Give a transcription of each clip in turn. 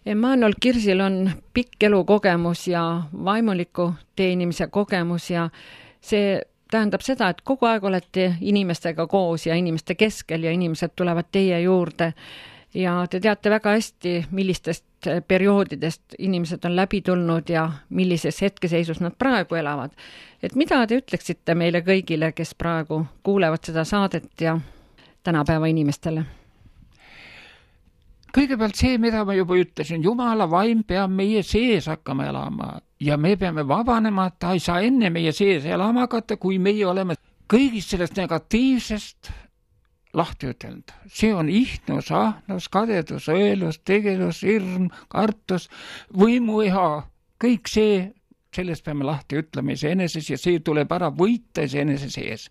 Emmanuel Kirsil on pikk elukogemus ja vaimuliku teenimise kogemus ja see tähendab seda, et kogu aeg olete inimestega koos ja inimeste keskel ja inimesed tulevad teie juurde ja te teate väga hästi, millistest perioodidest inimesed on läbi tulnud ja millises hetkeseisus nad praegu elavad. Et mida te ütleksite meile kõigile, kes praegu kuulevad seda saadet ja tänapäeva inimestele? Kõigepealt see, mida ma juba ütlesin, Jumala vaim peab meie sees hakkama elama ja me peame vabanema, ta ei saa enne meie sees elama hakata, kui meie oleme kõigist sellest negatiivsest lahti ütelnud. See on ihnus, ahnus, kadedus, õelus, tegelus, hirm, kartus, võimuiha, kõik see, sellest peame lahti ütlema iseeneses ja see tuleb ära võita iseenese sees.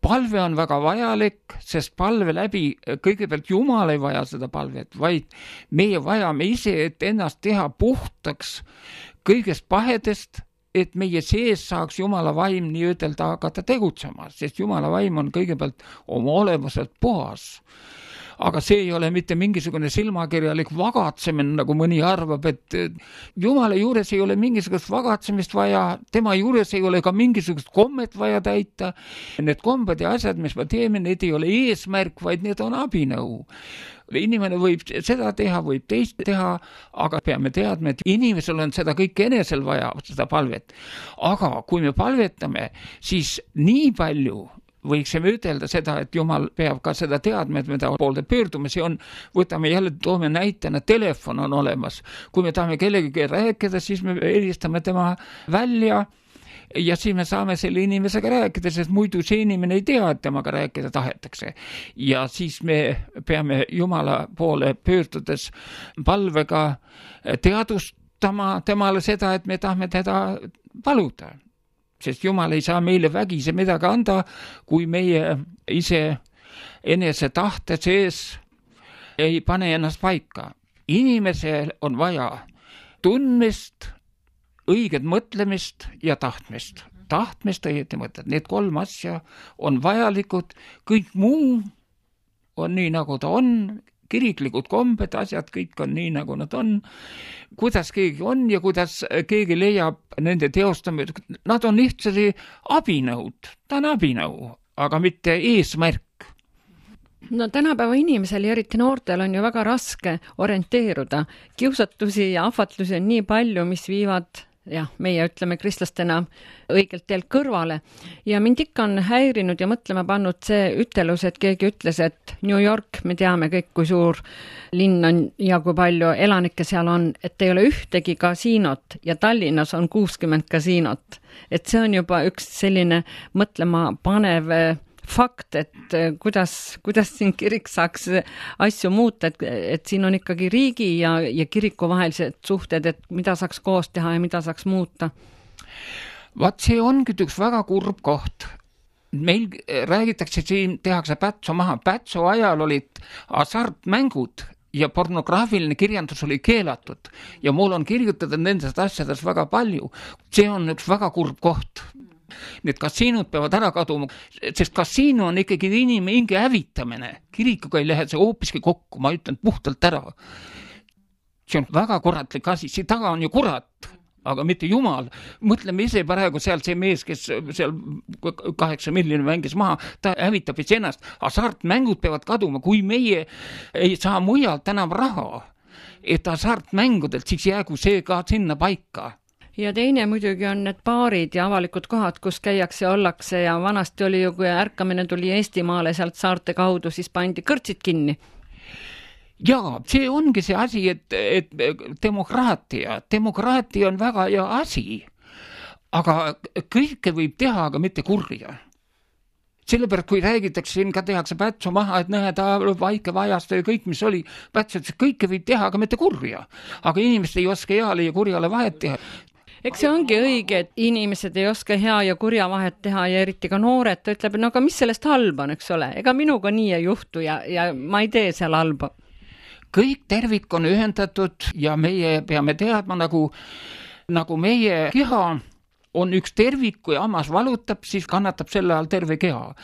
Palve on väga vajalik, sest palve läbi kõigepealt Jumal ei vaja seda palvet, vaid meie vajame ise, et ennast teha puhtaks kõigest pahedest, et meie sees saaks Jumala vaim nii ütelda hakata tegutsema, sest Jumala vaim on kõigepealt oma olemuselt puhas. Aga see ei ole mitte mingisugune silmakirjalik vagatsemine, nagu mõni arvab, et Jumala juures ei ole mingisugust vagatsemist vaja, tema juures ei ole ka mingisugust kommet vaja täita. Need kombed ja asjad, mis me teeme, need ei ole eesmärk, vaid need on abinõu. Inimene võib seda teha, võib teist teha, aga peame teadma, et inimesel on seda kõik enesel vaja, seda palvet. Aga kui me palvetame, siis nii palju võiksime ütelda seda, et Jumal peab ka seda teadma, et me ta poolde pöördume, see on, võtame jälle, toome näitena, telefon on olemas. Kui me tahame kellegagi rääkida, siis me helistame tema välja ja siis me saame selle inimesega rääkida, sest muidu see inimene ei tea, et temaga rääkida tahetakse. Ja siis me peame Jumala poole pöördudes palvega teadustama temale seda, et me tahame teda paluda. Sest Jumal ei saa meile vägise midagi anda, kui meie ise enese tahte sees ei pane ennast paika. Inimesel on vaja tundmist, õiget mõtlemist ja tahtmist. Tahtmist, õieti mõtled. Need 3 asja on vajalikud. Kõik muu on nii, nagu ta on. Kiriklikud kombed, asjad, kõik on nii, nagu nad on. Kuidas keegi on ja kuidas keegi leiab nende teostamine. Nad on lihtsalt abinõud. Ta on abinõu, aga mitte eesmärk. No tänapäeva inimesel ja eriti noortel on ju väga raske orienteeruda. Kiusatusi ja ahvatlusi on nii palju, mis viivad meie ütleme kristlastena õigelt teelt kõrvale. Ja mind ikka on häirinud ja mõtlema pannud see ütelus, et keegi ütles, et New York, me teame kõik, kui suur linn on ja kui palju elanikke seal on, et ei ole ühtegi kasiinot ja Tallinnas on 60 kasiinot. Et see on juba üks selline mõtlema panev fakt, et kuidas siin kirik saaks asju muuta, et siin on ikkagi riigi ja kiriku vahelised suhted, et mida saaks koos teha ja mida saaks muuta. Vaat see ongi üks väga kurb koht. Meil räägitakse, siin tehakse Pätso maha. Pätso ajal olid hasartmängud ja pornograafiline kirjandus oli keelatud ja mul on kirjutada nendest asjadest väga palju. See on üks väga kurb koht. Need kasiinud peavad ära kaduma, sest kasiino on ikkagi inimhinge hävitamine. Kirikuga ei lähe see hoopiski kokku, ma ütlen puhtalt ära. See on väga kuratlik asi, see taga on ju kurat, aga mitte Jumal. Mõtleme ise praegu seal see mees, kes seal 8 miljonit mängis maha, ta hävitab ennast. Hasartmängud peavad kaduma, kui meie ei saa mujalt enam raha, et hasartmängudelt siis jäägu see ka sinna paika. Ja teine muidugi on need baarid ja avalikud kohad, kus käiakse ja ollakse ja vanasti oli ju, kui ärkamine tuli Eestimaale sealt saarte kaudu, siis pandi kõrtsid kinni. Jaa, see ongi see asi, et demokraatia on väga hea asi, aga kõike võib teha, aga mitte kurja. Sellepärast, kui räägitakse, siin ka tehakse Pätso maha, et näed, vaike vajast ja kõik, mis oli, Pätso, et kõike võib teha, aga mitte kurja. Aga inimesed ei oska heale ja kurjale vahet teha. Eks see ongi õige, et inimesed ei oska hea ja kurja vahet teha ja eriti ka noored, ta ütleb, no aga mis sellest halba on, eks ole? Ega minuga nii ei juhtu ja ma ei tee seal halba. Kõik tervik on ühendatud ja meie peame teadma, nagu meie keha on üks tervik, kui hammas valutab, siis kannatab selle all terve keha.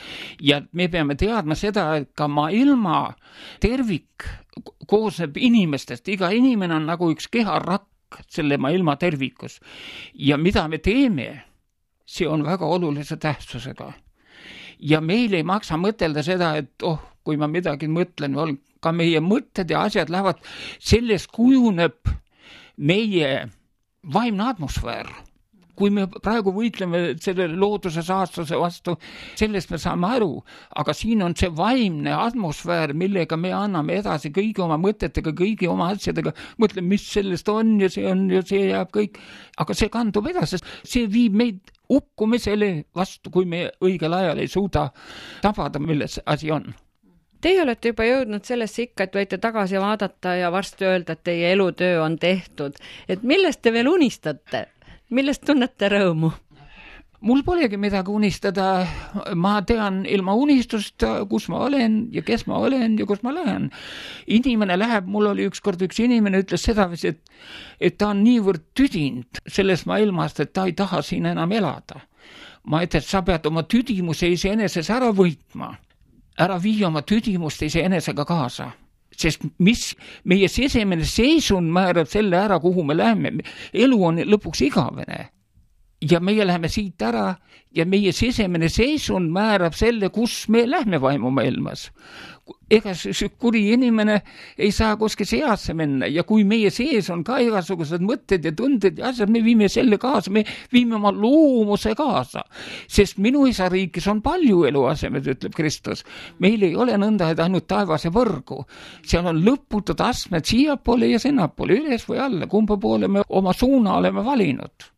Ja me peame teadma seda, et ka maailma tervik koosneb inimestest, iga inimene on nagu üks keharakk selle maailma tervikus. Ja mida me teeme, see on väga olulise tähtsusega. Ja meil ei maksa mõtelda seda, et kui ma midagi mõtlen, ka meie mõtted ja asjad lähevad, sellest kujuneb meie vaimne atmosfäär. Kui me praegu võitleme selle looduse saastuse vastu, sellest me saame aru, aga siin on see vaimne atmosfäär, millega me anname edasi kõigi oma mõtetega, kõigi oma asjadega, mõtleme, mis sellest on ja see jääb kõik, aga see kandub edasi, see viib meid ukkumisele vastu, kui me õigel ajal ei suuda tabada, milles asi on. Teie olete juba jõudnud sellesse ikka, et võite tagasi vaadata ja varsti öelda, et teie elutöö on tehtud. Et millest te veel unistate? Millest tunnete rõõmu? Mul polegi midagi unistada. Ma tean ilma unistust, kus ma olen ja kes ma olen ja kus ma lähen. Inimene läheb, mul oli ükskord üks inimene ütles seda, et ta on niivõrd tüdinud sellest maailmast, et ta ei taha siin enam elada. Ma ütlen, et sa pead oma tüdimuse iseeneses ära võitma. Ära vii oma tüdimust iseenesega kaasa. Sest mis meie sisemine seisund määrab selle ära, kuhu me läheme. Elu on lõpuks igavene. Ja meie läheme siit ära ja meie sisemine seisund määrab selle, kus me lähme vaimumaailmas. Ega see kuri inimene ei saa kuskil seasse minna ja kui meie sees on ka igasugused mõtted ja tunded ja asjad, me viime selle kaasa, me viime oma loomuse kaasa. Sest minu isa riigis on palju eluasemed, ütleb Kristus. Meil ei ole nõnda, et ainult taevase võrgu. Seal on lõputud astmed siiapoole ja sinnapoole, üles või alla, kumba poole me oma suuna oleme valinud.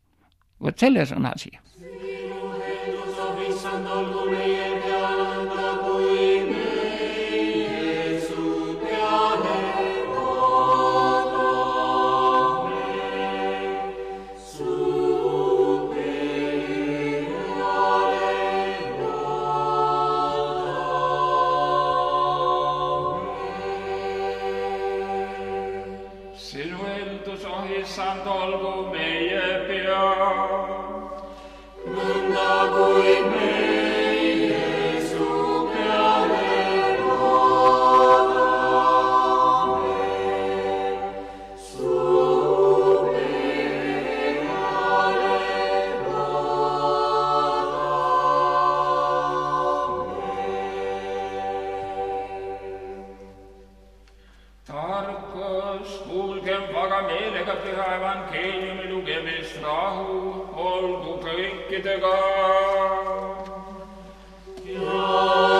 Võt selles on asi. Sinu eeldus, issand, olgu meie peal. Nõnda kui meie su peale loodame, su peale loodame. Tarkus, kuulgem vaga meelega püha evangeeliumi lugemist, rahu olgu kõikidega. Ja